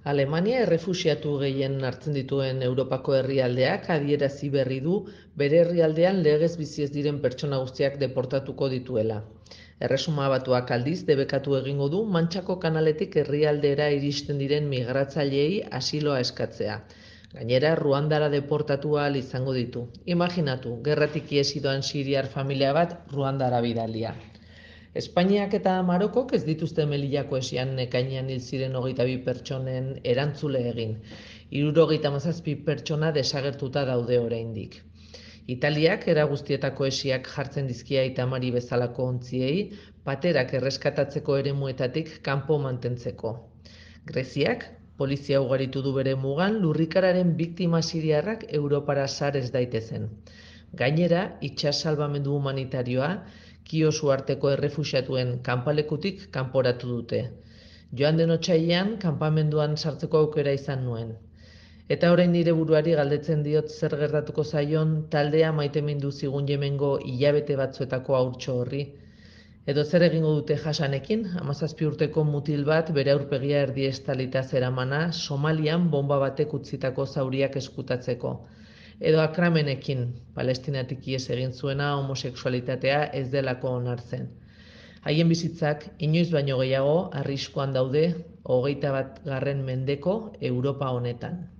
Alemania errefuxiatu gehien hartzen dituen Europako herrialdeak adierazi berri du bere herrialdean legez bizi ez diren pertsona guztiak deportatuko dituela. Erresuma Batuak aldiz debekatu egingo du Mantxako kanaletik herrialdera iristen diren migratzaileei asiloa eskatzea. Gainera, Ruandara deportatu ahal izango ditu. Imaginatu, gerratik ihesi doan siriar familia bat Ruandara bidalia. Espainiak eta Marokok ez dituzte Melillako esian ekainean hil ziren 22 pertsonen erantzule egin. 77 pertsona desagertuta daude oraindik. Italiak era guztietako esiak jartzen dizkia Aita Mari bezalako ontziei, paterak erreskatatzeko eremuetatik kanpo mantentzeko. Greziak polizia ugaritu du bere mugan lurrikararen biktima siriarrak Europara sar ez daitezen. Gainera, itsas salbamendu humanitarioa Kios uharteko errefuxiatuen kanpalekutik kanporatu dute. Joan den otsailean kanpamenduan sartzeko aukera izan nuen. Eta orain nire buruari galdetzen diot zer gertatuko zaion taldea maitemindu zigun Yemengo hilabete batzuetako haurtxo horri. Edo zer egingo dute Hasanekin, 17 urteko mutil bat bere aurpegia erdi estalita zeramana Somalian bonba batek utzitako zauriak eskutatzeko. Edo Akramenekin, Palestinatik ihes egin zuena homosexualitatea ez delako onartzen. Haien bizitzak inoiz baino gehiago arriskuan daude 21. mendeko Europa honetan.